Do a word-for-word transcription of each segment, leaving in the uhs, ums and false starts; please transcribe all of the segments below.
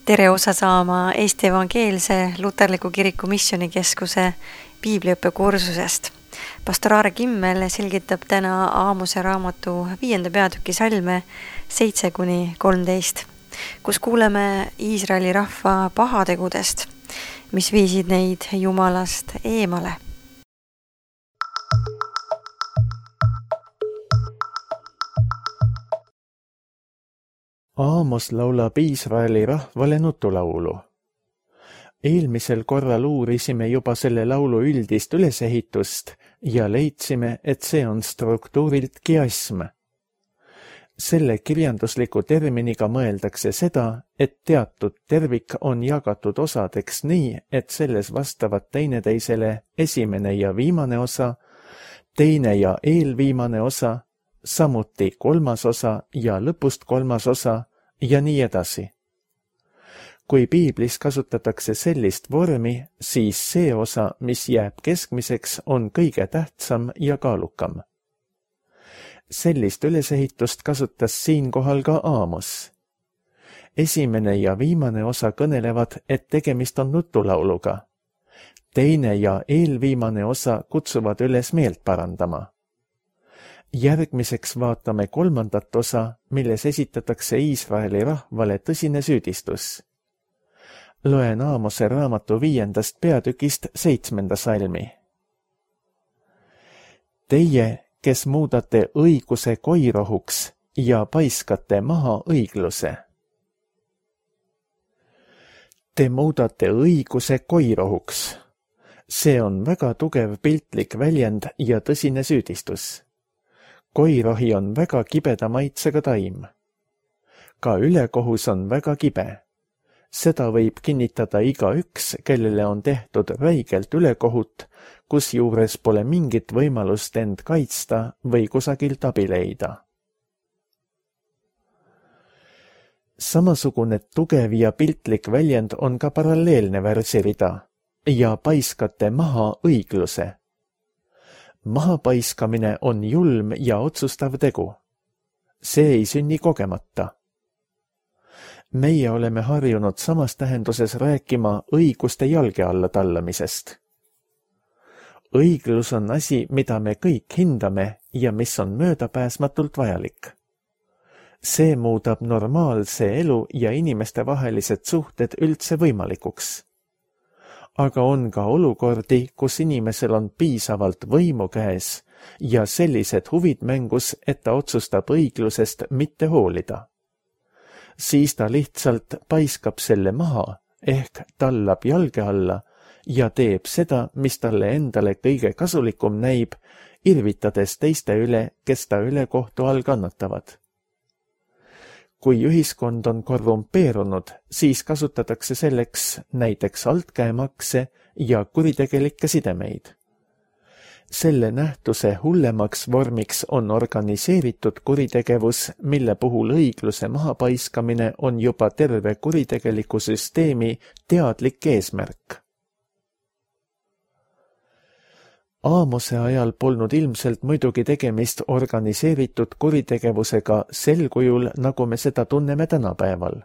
Tere osa saama Eesti Evangeelse Luterliku Kiriku Missioonikeskuse piibliõppekursusest. Pastor Aare Kimmel selgitab täna Aamose raamatu viienda peatüki salme seitse kuni kolmteist, kus kuuleme Iisraeli rahva pahategudest, mis viisid neid Jumalast eemale. Aamos laulab Iisraeli rahvale nutulaulu. Eelmisel korral uurisime juba selle laulu üldist ülesehitust ja leidsime, et see on struktuurilt kiasm. Selle kirjandusliku terminiga mõeldakse seda, et teatud tervik on jagatud osadeks nii, et selles vastavad teineteisele esimene ja viimane osa, teine ja eelviimane osa, samuti kolmas osa ja lõpust kolmas osa ja nii edasi. Kui piiblis kasutatakse sellist vormi, siis see osa, mis jääb keskmiseks, on kõige tähtsam ja kaalukam. Sellist ülesehitust kasutas siinkohal ka Aamos. Esimene ja viimane osa kõnelevad, et tegemist on nutulauluga. Teine ja eelviimane osa kutsuvad üles meelt parandama. Järgmiseks vaatame kolmandat osa, milles esitatakse Iisraeli rahvale tõsine süüdistus. Loen Aamose raamatu viiendast peatükist seitsmenda salmi. Teie, kes muudate õiguse koirohuks ja paiskate maha õigluse. Te muudate õiguse koirohuks. See on väga tugev piltlik väljend ja tõsine süüdistus. Koirohi on väga kibeda maitsega taim. Ka ülekohus on väga kibe. Seda võib kinnitada igaüks, kellele on tehtud räigelt ülekohut, kus juures pole mingit võimalust end kaitsta või kusagilt abi leida. Samasugune tugev ja piltlik väljend on ka paralleelne versirida ja paiskate maha õigluse. Mahapaiskamine on julm ja otsustav tegu. See ei sünni kogemata. Meie oleme harjunud samas tähenduses rääkima õiguste jalge alla tallamisest. Õiglus on asi, mida me kõik hindame ja mis on möödapääsmatult vajalik. See muudab normaalse elu ja inimeste vahelised suhted üldse võimalikuks. Aga on ka olukordi, kus inimesel on piisavalt võimu käes ja sellised huvid mängus, et ta otsustab õiglusest mitte hoolida. Siis ta lihtsalt paiskab selle maha ehk tallab jalge alla ja teeb seda, mis talle endale kõige kasulikum näib, irvitades teiste üle, kes ta ülekohtu all kannatavad. Kui ühiskond on korrumpeerunud, siis kasutatakse selleks näiteks altkäemakse ja kuritegelikke sidemeid. Selle nähtuse hullemaks vormiks on organiseeritud kuritegevus, mille puhul õigluse mahapaiskamine on juba terve kuritegeliku süsteemi teadlik eesmärk. Aamose ajal polnud ilmselt muidugi tegemist organiseeritud kuritegevusega sel kujul, nagu me seda tunneme tänapäeval.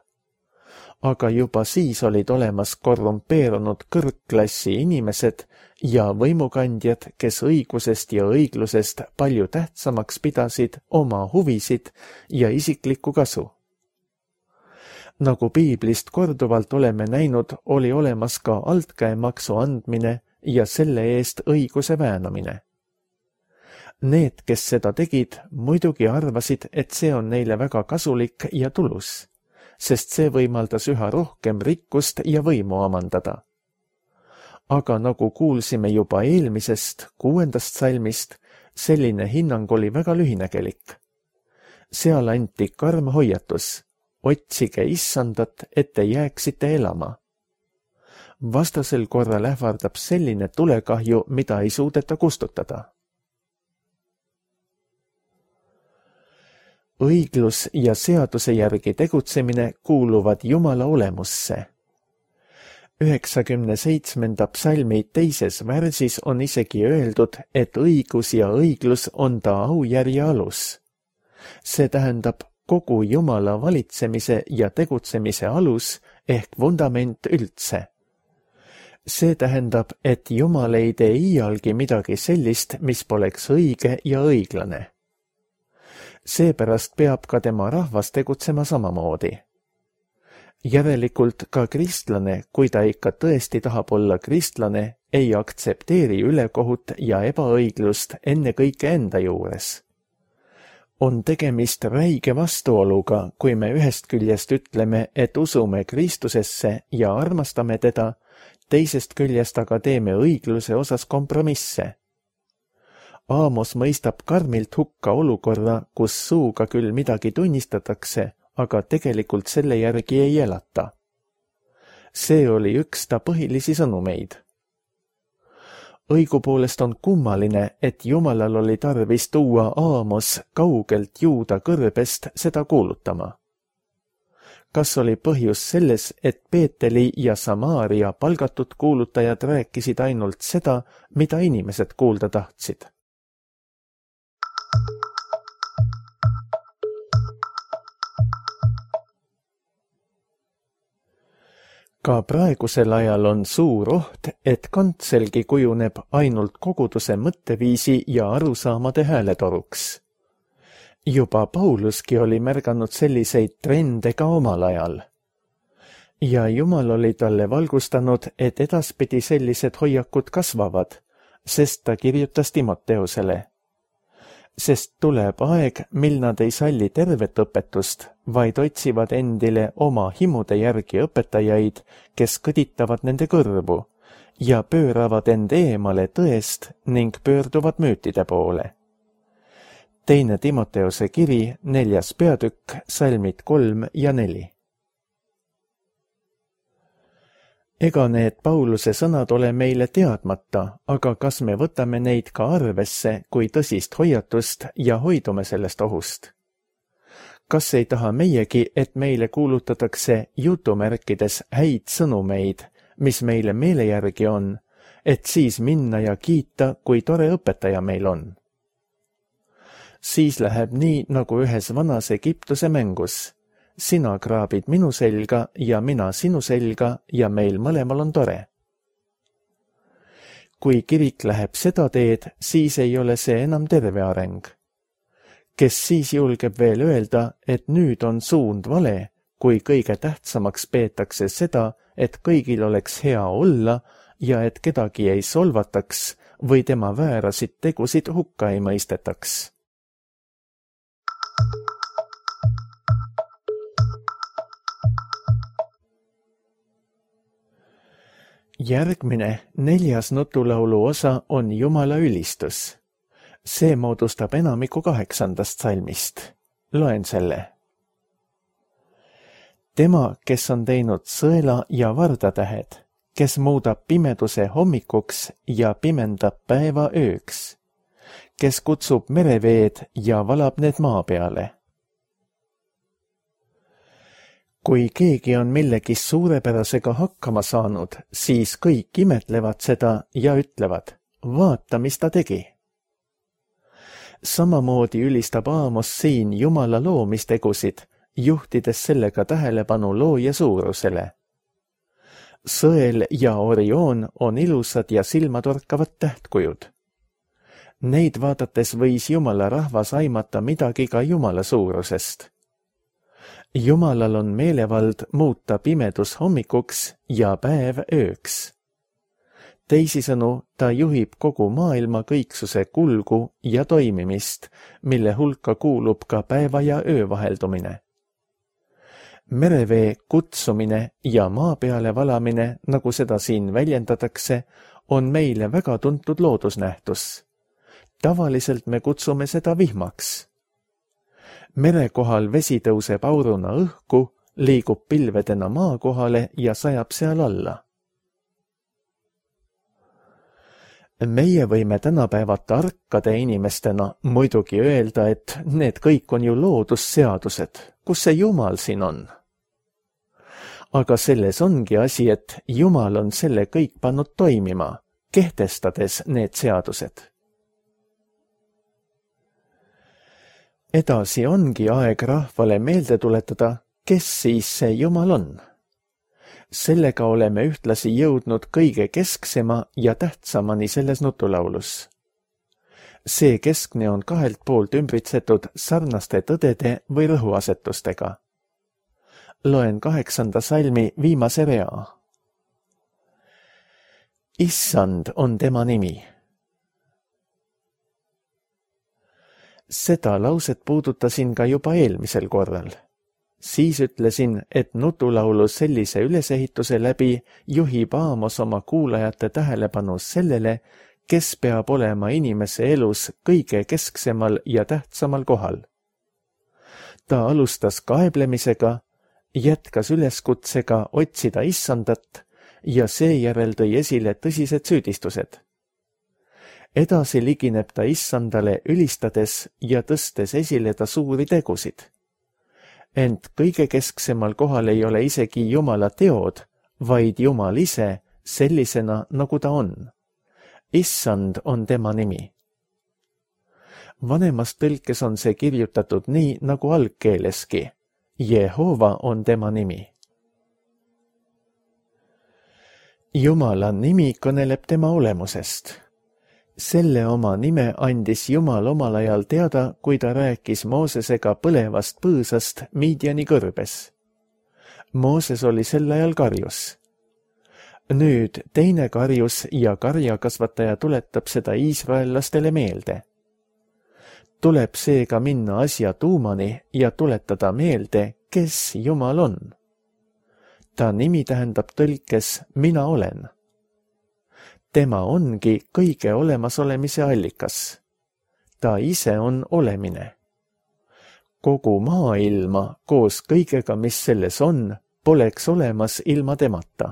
Aga juba siis olid olemas korrumpeerunud kõrgklassi inimesed ja võimukandjad, kes õigusest ja õiglusest palju tähtsamaks pidasid oma huvisid ja isiklikku kasu. Nagu piiblist korduvalt oleme näinud, oli olemas ka altkäemaksu andmine ja selle eest õiguse väänamine. Need, kes seda tegid, muidugi arvasid, et see on neile väga kasulik ja tulus, sest see võimaldas üha rohkem rikkust ja võimu omandada. Aga nagu kuulsime juba eelmisest, kuuendast salmist, selline hinnang oli väga lühinägelik. Seal anti karm hoiatus, otsige issandat, et te jääksite elama. Vastasel korral ähvardab selline tulekahju, mida ei suudeta kustutada. Õiglus ja seaduse järgi tegutsemine kuuluvad Jumala olemusse. üheksakümne seitsmenda psalmi teises värsis on isegi öeldud, et õigus ja õiglus on ta aujärje alus. See tähendab kogu Jumala valitsemise ja tegutsemise alus ehk vundament üldse. See tähendab, et Jumal ei tee iialgi midagi sellist, mis poleks õige ja õiglane. Seepärast peab ka tema rahvas tegutsema samamoodi. Järelikult ka kristlane, kui ta ikka tõesti tahab olla kristlane, ei aktsepteeri ülekohut ja ebaõiglust ennekõike enda juures. On tegemist räige vastuoluga, kui me ühest küljest ütleme, et usume Kristusesse ja armastame teda, teisest küljest aga teeme õigluse osas kompromisse. Aamos mõistab karmilt hukka olukorra, kus suuga küll midagi tunnistatakse, aga tegelikult selle järgi ei elata. See oli üks ta põhilisi sõnumeid. Õigupoolest on kummaline, et Jumalal oli tarvis tuua Aamos kaugelt Juuda kõrbest seda kuulutama. Kas oli põhjus selles, et Peeteli ja Samaaria palgatud kuulutajad rääkisid ainult seda, mida inimesed kuulda tahtsid? Ka praegusel ajal on suur oht, et kantselgi kujuneb ainult koguduse mõtteviisi ja arusaamade hääletoruks. Juba Pauluski oli märganud selliseid trende ka omal ajal. Ja Jumal oli talle valgustanud, et edaspidi sellised hoiakud kasvavad, sest ta kirjutas Timoteusele. Sest tuleb aeg, mil nad ei salli tervet õpetust, vaid otsivad endile oma himude järgi õpetajaid, kes kõditavad nende kõrvu ja pööravad end eemale tõest ning pöörduvad müütide poole. Teine Timoteuse kiri, neljas peatükk, salmid kolm ja neli. Ega need Pauluse sõnad ole meile teadmata, aga kas me võtame neid ka arvesse kui tõsist hoiatust ja hoidume sellest ohust? Kas ei taha meiegi, et meile kuulutatakse jutumärkides häid sõnumeid, mis meile meele järgi on, et siis minna ja kiita, kui tore õpetaja meil on? Siis läheb nii, nagu ühes vanas Egiptuse mängus. Sina kraabid minu selga ja mina sinu selga ja meil mõlemal on tore. Kui kirik läheb seda teed, siis ei ole see enam terve areng. Kes siis julgeb veel öelda, et nüüd on suund vale, kui kõige tähtsamaks peetakse seda, et kõigil oleks hea olla ja et kedagi ei solvataks või tema väärasid tegusid hukka ei mõistetaks. Järgmine, neljas nutulaulu osa on Jumala ülistus. See moodustab enamiku kaheksandast salmist. Loen selle. Tema, kes on teinud sõela ja vardatähed, kes muudab pimeduse hommikuks ja pimendab päeva ööks, kes kutsub mereveed ja valab need maa peale. Kui keegi on millegis suurepärasega hakkama saanud, siis kõik imetlevad seda ja ütlevad, vaata, mis ta tegi. Samamoodi ülistab Aamos siin Jumala loomistegusid, juhtides sellega tähelepanu looja suurusele. Sõel ja Orioon on ilusad ja silmatorkavad tähtkujud. Neid vaadates võis Jumala rahvas aimata midagi ka Jumala suurusest. Jumalal on meelevald muuta pimedus hommikuks ja päev ööks. Teisisõnu, ta juhib kogu maailma kõiksuse kulgu ja toimimist, mille hulka kuulub ka päeva ja öö vaheldumine. Merevee kutsumine ja maa peale valamine, nagu seda siin väljendatakse, on meile väga tuntud loodusnähtus. Tavaliselt me kutsume seda vihmaks. Mere kohal vesi tõuseb auruna õhku, liigub pilvedena maa kohale ja sajab seal alla. Meie võime tänapäeva tarkade inimestena muidugi öelda, et need kõik on ju loodusseadused, kus see Jumal siin on. Aga selles ongi asi, et Jumal on selle kõik pannud toimima, kehtestades need seadused. Edasi ongi aeg rahvale meelde tuletada, kes siis see Jumal on. Sellega oleme ühtlasi jõudnud kõige kesksema ja tähtsamani selles nutulaulus. See keskne on kahelt poolt ümbritsetud sarnaste tõdede või rõhuasetustega. Loen kaheksanda salmi viimase rea. Issand on tema nimi. Seda lauset puudutasin ka juba eelmisel korral. Siis ütlesin, et nutulaulu sellise ülesehituse läbi juhib Aamos oma kuulajate tähelepanu sellele, kes peab olema inimese elus kõige kesksemal ja tähtsamal kohal. Ta alustas kaeblemisega, jätkas üleskutsega otsida issandat ja seejärel tõi esile tõsised süüdistused. Edasi ligineb ta issandale ülistades ja tõstes esile ta suuri tegusid. Ent kõige kesksemal kohal ei ole isegi Jumala teod, vaid Jumal ise sellisena, nagu ta on. Issand on tema nimi. Vanemas tõlkes on see kirjutatud nii, nagu algkeeleski. Jehova on tema nimi. Jumala nimi kõneleb tema olemusest. Selle oma nime andis Jumal omal ajal teada, kui ta rääkis Moosesega põlevast põõsast Midiani kõrbes. Mooses oli sel ajal karjus. Nüüd teine karjus ja karjakasvataja tuletab seda iisraellastele meelde. Tuleb seega minna asja tuumani ja tuletada meelde, kes Jumal on. Ta nimi tähendab tõlkes mina olen. Tema ongi kõige olemasolemise allikas. Ta ise on olemine. Kogu maailma koos kõigega, mis selles on, poleks olemas ilma temata.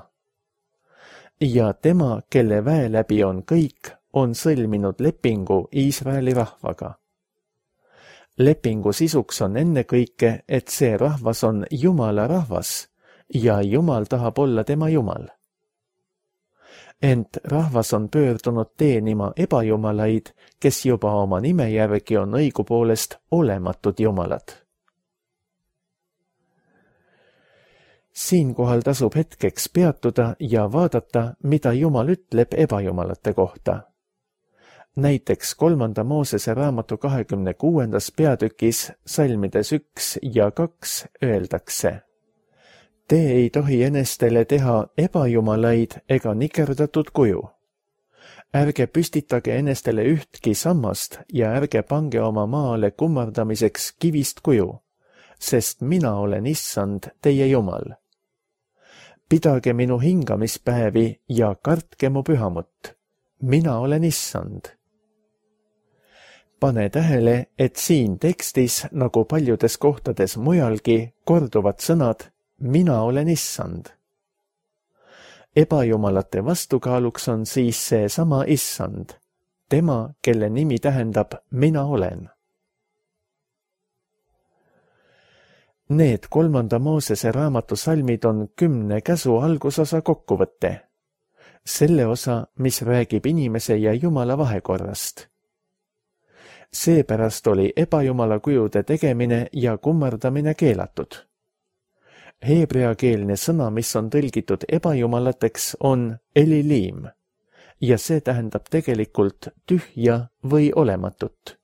Ja tema, kelle väe läbi on kõik, on sõlminud lepingu Iisraeli rahvaga. Lepingu sisuks on ennekõike, et see rahvas on Jumala rahvas ja Jumal tahab olla tema Jumal. Ent rahvas on pöördunud teenima ebajumalaid, kes juba oma nime järgi on õigupoolest olematud jumalad. Siinkohal tasub hetkeks peatuda ja vaadata, mida Jumal ütleb ebajumalate kohta. Näiteks kolmanda Moosese raamatu kahekümne kuuendas peatükis salmides üks ja kaks öeldakse: Te ei tohi enestele teha ebajumalaid ega nikerdatud kuju. Ärge püstitage enestele ühtki sammast ja ärge pange oma maale kummardamiseks kivist kuju, sest mina olen issand teie Jumal. Pidage minu hingamispäevi ja kartke mu pühamut. Mina olen issand. Pane tähele, et siin tekstis, nagu paljudes kohtades mujalgi, korduvad sõnad mina olen issand. Ebajumalate vastukaaluks on siis see sama issand, tema, kelle nimi tähendab mina olen. Need kolmanda Moosese raamatu salmid on kümne käsu algusosa kokkuvõte. Selle osa, mis räägib inimese ja Jumala vahekorrast. Seepärast oli ebajumala kujude tegemine ja kummardamine keelatud. Heebreakeelne sõna, mis on tõlgitud ebajumalateks, on elilim ja see tähendab tegelikult tühja või olematut.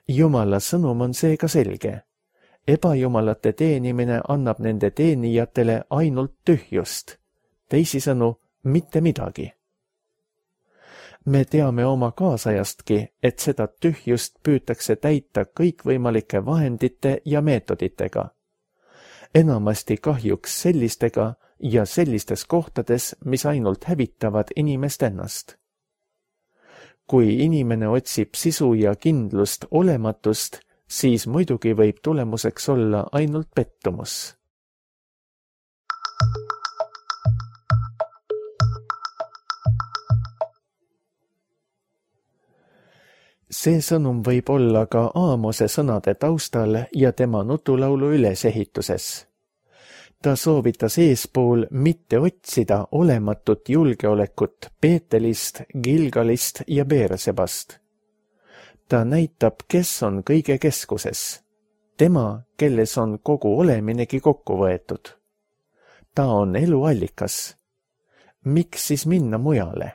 Jumala sõnum on seega selge. Ebajumalate teenimine annab nende teenijatele ainult tühjust, teisisõnu mitte midagi. Me teame oma kaasajastki, et seda tühjust püütakse täita kõikvõimalike vahendite ja meetoditega. Enamasti kahjuks sellistega ja sellistes kohtades, mis ainult hävitavad inimest ennast. Kui inimene otsib sisu ja kindlust olematust, siis muidugi võib tulemuseks olla ainult pettumus. See sõnum võib olla ka Aamose sõnade taustal ja tema nutulaulu ülesehituses. Ta soovitas eespool mitte otsida olematut julgeolekut Peetelist, Gilgalist ja Beersebast. Ta näitab, kes on kõige keskuses. Tema, kelles on kogu oleminegi kokku võetud. Ta on eluallikas. Miks siis minna mujale?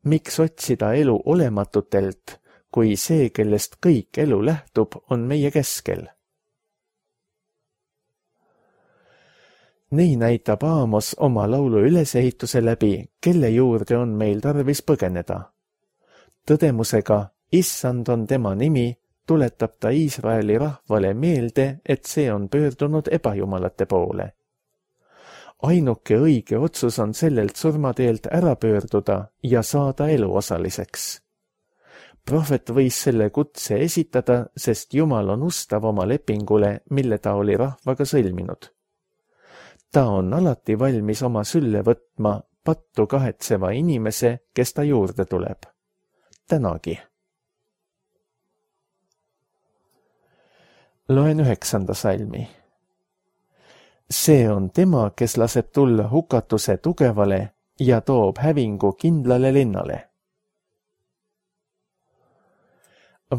Miks otsida elu olematutelt, kui see, kellest kõik elu lähtub, on meie keskel? Nii näitab Aamos oma laulu ülesehituse läbi, kelle juurde on meil tarvis põgeneda. Tõdemusega, issand on tema nimi, tuletab ta Iisraeli rahvale meelde, et see on pöördunud ebajumalate poole. Ainuke õige otsus on sellelt surmateelt ära pöörduda ja saada eluosaliseks. Prohvet võis selle kutse esitada, sest Jumal on ustav oma lepingule, mille ta oli rahvaga sõlminud. Ta on alati valmis oma sülle võtma pattu kahetseva inimese, kes ta juurde tuleb. Tänagi. Loen üheksanda salmi. See on tema, kes laseb tulla hukatuse tugevale ja toob hävingu kindlale linnale.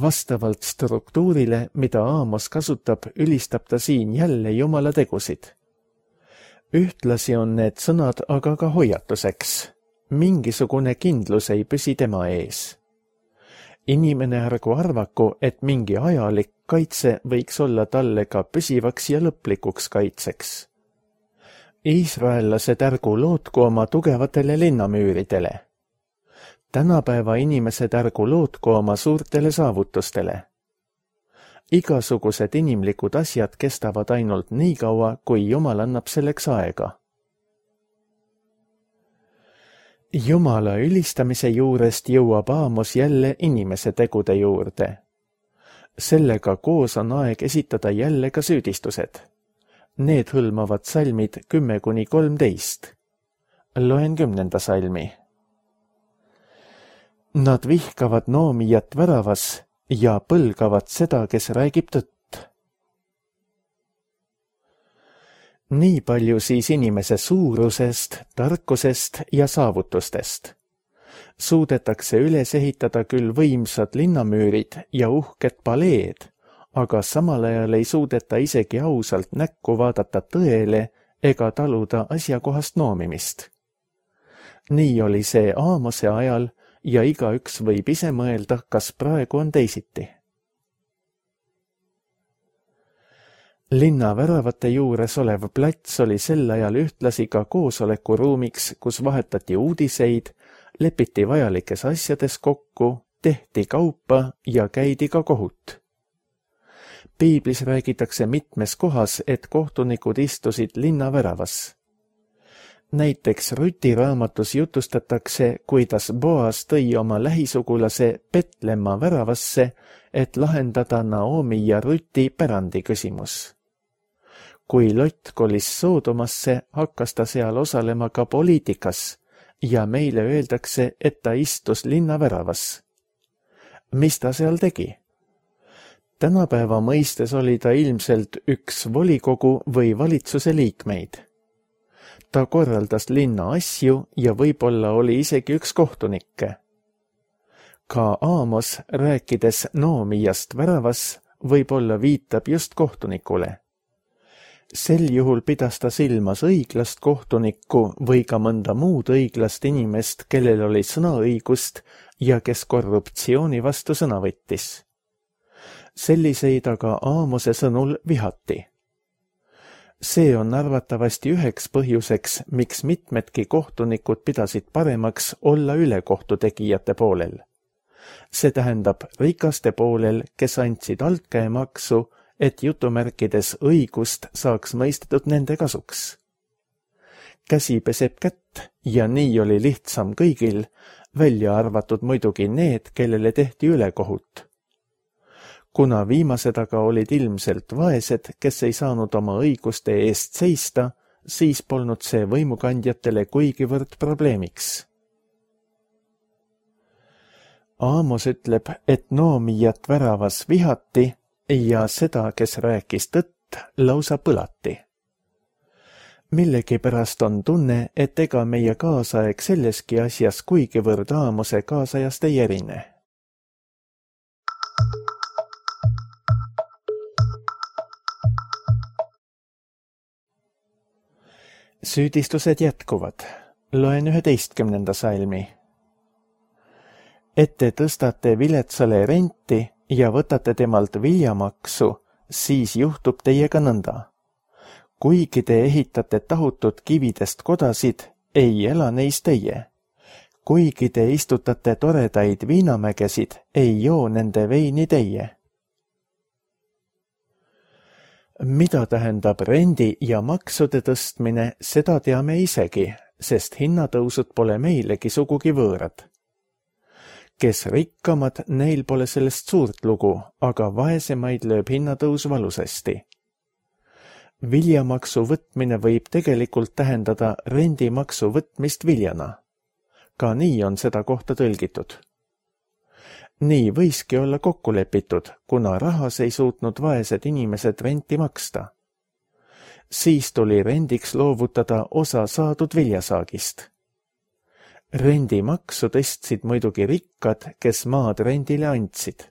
Vastavalt struktuurile, mida Aamos kasutab, ülistab ta siin jälle Jumala tegusid. Ühtlasi on need sõnad aga ka hoiatuseks. Mingisugune kindlus ei püsi tema ees. Inimene ärgu arvaku, et mingi ajalik kaitse võiks olla talle ka püsivaks ja lõplikuks kaitseks. Iisraellased ärgu lootku oma tugevatele linnamüüridele. Tänapäeva inimesed ärgu lootku oma suurtele saavutustele. Igasugused inimlikud asjad kestavad ainult nii kaua, kui Jumal annab selleks aega. Jumala ülistamise juurest jõuab Aamos jälle inimese tegude juurde. Sellega koos on aeg esitada jälle ka süüdistused. Need hõlmavad salmid kümme kuni kolmteist. Loen kümnenda salmi. Nad vihkavad noomijat väravas ja põlgavad seda, kes räägib tõtt. Nii palju siis inimese suurusest, tarkusest ja saavutustest. Suudetakse üles ehitada küll võimsad linnamüürid ja uhked paleed, aga samal ajal ei suudeta isegi ausalt näkku vaadata tõele ega taluda asjakohast noomimist. Nii oli see Aamose ajal ja igaüks võib ise mõelda, kas praegu on teisiti. Linna väravate juures olev plats oli sel ajal ühtlasi ka koosolekuruumiks, kus vahetati uudiseid, lepiti vajalikes asjades kokku, tehti kaupa ja käidi ka kohut. Piiblis räägitakse mitmes kohas, et kohtunikud istusid linna väravas. Näiteks Ruti raamatus jutustatakse, kuidas Boas tõi oma lähisugulase Petlemma väravasse, et lahendada Naomi ja Ruti pärandi küsimus. Kui Lott kolis Soodomasse, hakkas ta seal osalema ka poliitikas ja meile öeldakse, et ta istus linna väravas. Mis ta seal tegi? Tänapäeva mõistes oli ta ilmselt üks volikogu või valitsuse liikmeid. Ta korraldas linna asju ja võib-olla oli isegi üks kohtunikke. Ka Aamos, rääkides noomijast väravas, võib-olla viitab just kohtunikule. Sel juhul pidas ta silmas õiglast kohtunikku või ka mõnda muud õiglast inimest, kellel oli sõnaõigust ja kes korruptsiooni vastu sõna võttis. Selliseid aga Aamose sõnul vihati. See on arvatavasti üheks põhjuseks, miks mitmedki kohtunikud pidasid paremaks olla ülekohtu tegijate poolel. See tähendab rikaste poolel, kes andsid altkäemaksu, et jutumärkides õigust saaks mõistetud nende kasuks. Käsi peseb kätt ja nii oli lihtsam kõigil, välja arvatud muidugi need, kellele tehti ülekohut. Kuna viimased aga olid ilmselt vaesed, kes ei saanud oma õiguste eest seista, siis polnud see võimukandjatele kuigivõrd probleemiks. Aamos ütleb, et noomijat väravas vihati ja seda, kes rääkis tõtt, lausa põlati. Millegipärast on tunne, et ega meie kaasaeg selleski asjas kuigivõrd Aamose kaasajast ei erine. Süüdistused jätkuvad. Loen üheteistkümnenda salmi. Et te tõstate viletsale renti ja võtate temalt viljamaksu, siis juhtub teiega nõnda. Kuigi te ehitate tahutud kividest kodasid, ei ela neis teie. Kuigi te istutate toredaid viinamägesid, ei joo nende veini teie. Mida tähendab rendi ja maksude tõstmine, seda teame isegi, sest hinnatõusud pole meilegi sugugi võõrad. Kes rikkamad, neil pole sellest suurt lugu, aga vaesemaid lööb hinnatõus valusasti. Viljamaksu võtmine võib tegelikult tähendada rendimaksu võtmist viljana. Ka nii on seda kohta tõlgitud. Nii võiski olla kokku lepitud, kuna rahas ei suutnud vaesed inimesed renti maksta. Siis tuli rendiks loovutada osa saadud viljasaagist. Rendimaksu tõstsid muidugi rikkad, kes maad rendile andsid.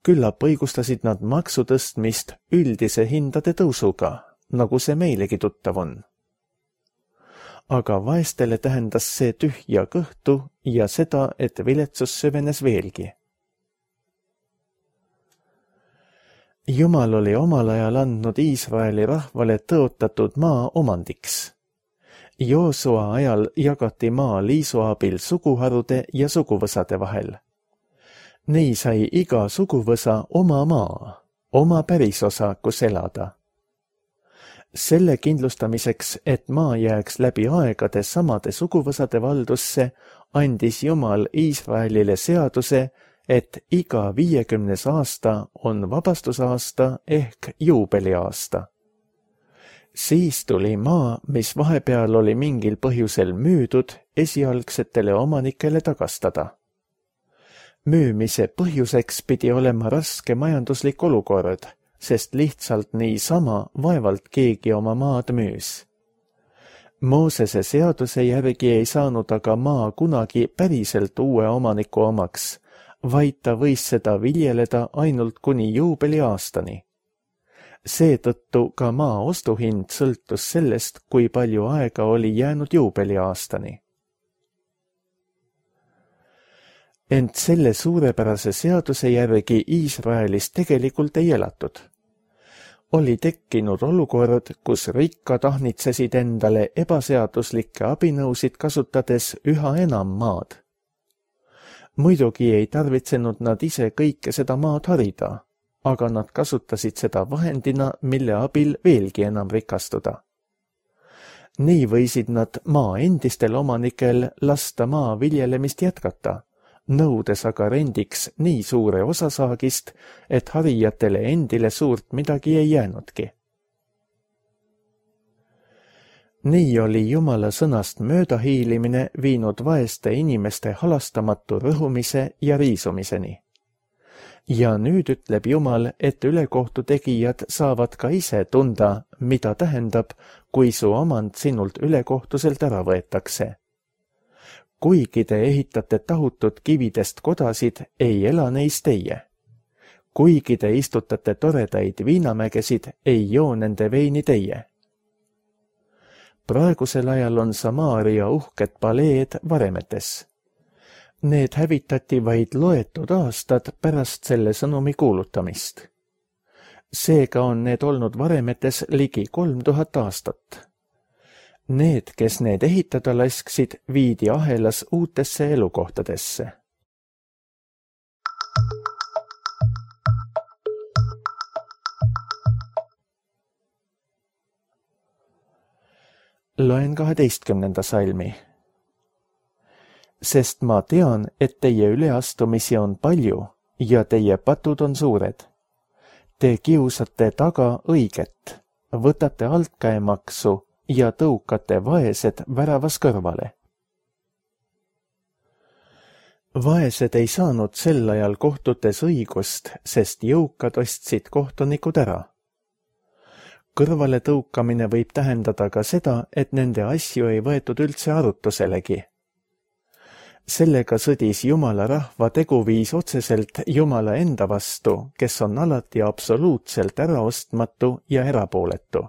Küllap õigustasid nad maksu tõstmist üldise hindade tõusuga, nagu see meilegi tuttav on. Aga vaestele tähendas see tühja kõhtu ja seda, et viletsus süvenes veelgi. Jumal oli omal ajal andnud Iisraeli rahvale tõotatud maa omandiks. Joosua ajal jagati maa liisu abil suguharude ja suguvõsade vahel. Nii sai iga suguvõsa oma maa, oma pärisosa, kus elada. Selle kindlustamiseks, et maa jääks läbi aegade samade suguvõsade valdusse, andis Jumal Iisraelile seaduse, et iga viiekümnes aasta on vabastusaasta ehk juubeliaasta. Siis tuli maa, mis vahepeal oli mingil põhjusel müüdud, esialgsetele omanikele tagastada. Müümise põhjuseks pidi olema raske majanduslik olukord, sest lihtsalt niisama vaevalt keegi oma maad müüs. Moosese seaduse järgi ei saanud aga maa kunagi päriselt uue omaniku omaks, vaid ta võis seda viljeleda ainult kuni juubeliaastani. Seetõttu ka maa ostuhind sõltus sellest, kui palju aega oli jäänud juubeliaastani. Ent selle suurepärase seaduse järgi Iisraelis tegelikult ei elatud. Oli tekkinud olukord, kus rikkad ahnitsesid endale ebaseaduslikke abinõusid kasutades üha enam maad. Muidugi ei tarvitsenud nad ise kõike seda maad harida, aga nad kasutasid seda vahendina, mille abil veelgi enam rikastuda. Nii võisid nad maa endistel omanikel lasta maa viljelemist jätkata, nõudes aga rendiks nii suure osasaagist, et harijatele endile suurt midagi ei jäänudki. Nii oli Jumala sõnast möödahiilimine viinud vaeste inimeste halastamatu rõhumise ja riisumiseni. Ja nüüd ütleb Jumal, et ülekohtu tegijad saavad ka ise tunda, mida tähendab, kui su omand sinult ülekohtuselt ära võetakse. Kuigi te ehitate tahutud kividest kodasid, ei ela neis teie. Kuigi te istutate toredaid viinamägesid, ei joo nende veini teie. Praegusel ajal on Samaaria uhked paleed varemetes. Need hävitati vaid loetud aastad pärast selle sõnumi kuulutamist. Seega on need olnud varemetes ligi kolm tuhat aastat. Need, kes need ehitada lasksid, viidi ahelas uutesse elukohtadesse. Loen kaheteistkümnenda salmi. Sest ma tean, et teie üleastumisi on palju ja teie patud on suured. Te kiusate taga õiget, võtate altkäemaksu ja tõukate vaesed väravas kõrvale. Vaesed ei saanud sel ajal kohtutes õigust, sest jõukad ostsid kohtunikud ära. Kõrvale tõukamine võib tähendada ka seda, et nende asju ei võetud üldse arutuselegi. Sellega sõdis Jumala rahva teguviis otseselt Jumala enda vastu, kes on alati absoluutselt äraostmatu ja erapooletu.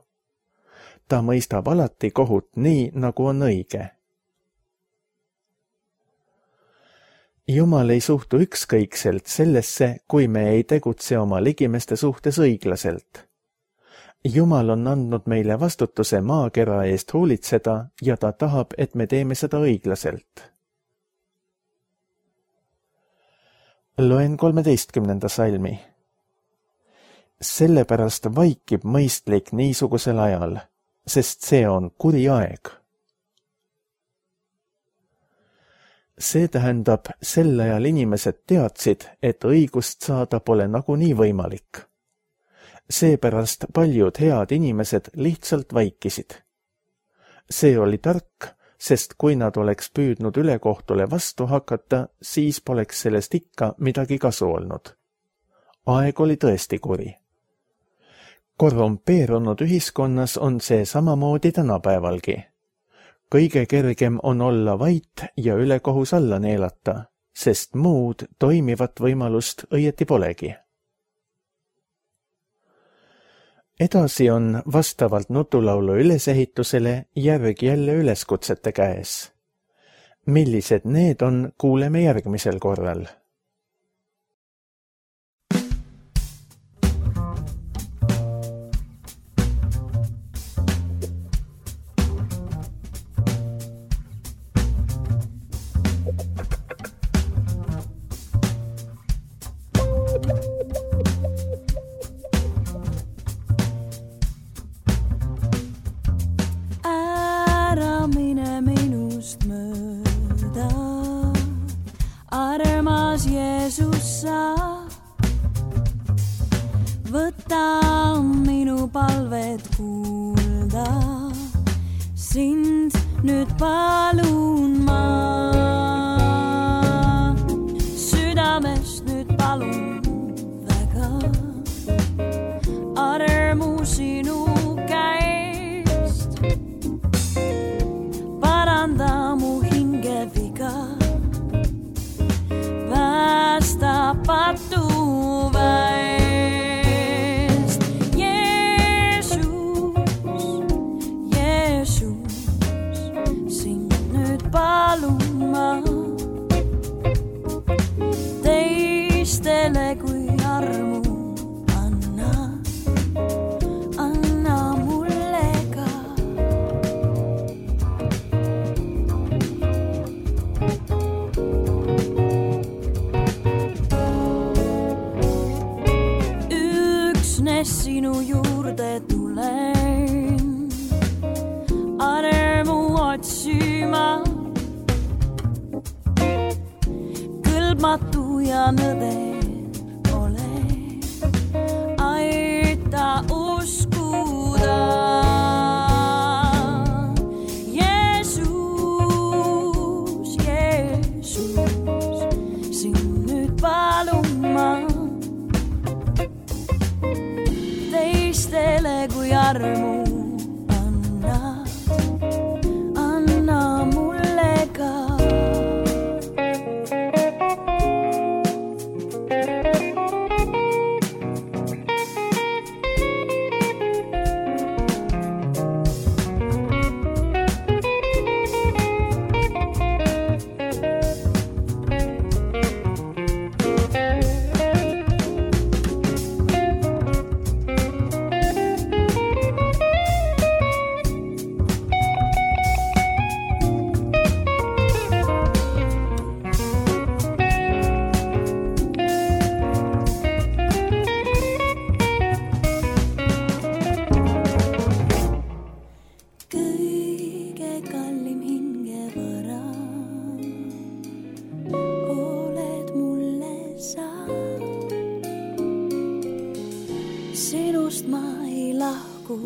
ta mõistab alati kohut nii, nagu on õige. Jumal ei suhtu ükskõikselt sellesse, kui me ei tegutse oma ligimeste suhtes õiglaselt. Jumal on andnud meile vastutuse maakera eest hoolitseda ja ta tahab, et me teeme seda õiglaselt. Loen kolmeteistkümnenda salmi. Sellepärast vaikib mõistlik niisugusel ajal, sest see on kuri aeg. See tähendab, sel ajal inimesed teadsid, et õigust saada pole nagunii võimalik. Seepärast paljud head inimesed lihtsalt vaikisid. See oli tark, sest kui nad oleks püüdnud ülekohtule vastu hakata, siis poleks sellest ikka midagi kasu olnud. Aeg oli tõesti kuri. Korrumpeerunud ühiskonnas on see samamoodi tänapäevalgi. Kõige kergem on olla vait ja ülekohus alla neelata, sest muud toimivat võimalust õieti polegi. Edasi on vastavalt nutulaulu ülesehitusele järg jälle üleskutsete käes. Millised need on, kuuleme järgmisel korral. Võta minu palvet kuulda, sind nüüd palun ma. Südamest nüüd palun väga, armu sinu käest. Paranda mu hingeviga, päästa patu väest. Teistele kui armu anna, anna mulle ka. Üksnes sinu juurde tulen, armu otsima. Kõlbmatu ja nõder ole, aita uskuda. Jeesus, Jeesus, sind nüüd palun ma. Teistele kui armu anna, anna mulle ka. Sinust ma ei lahku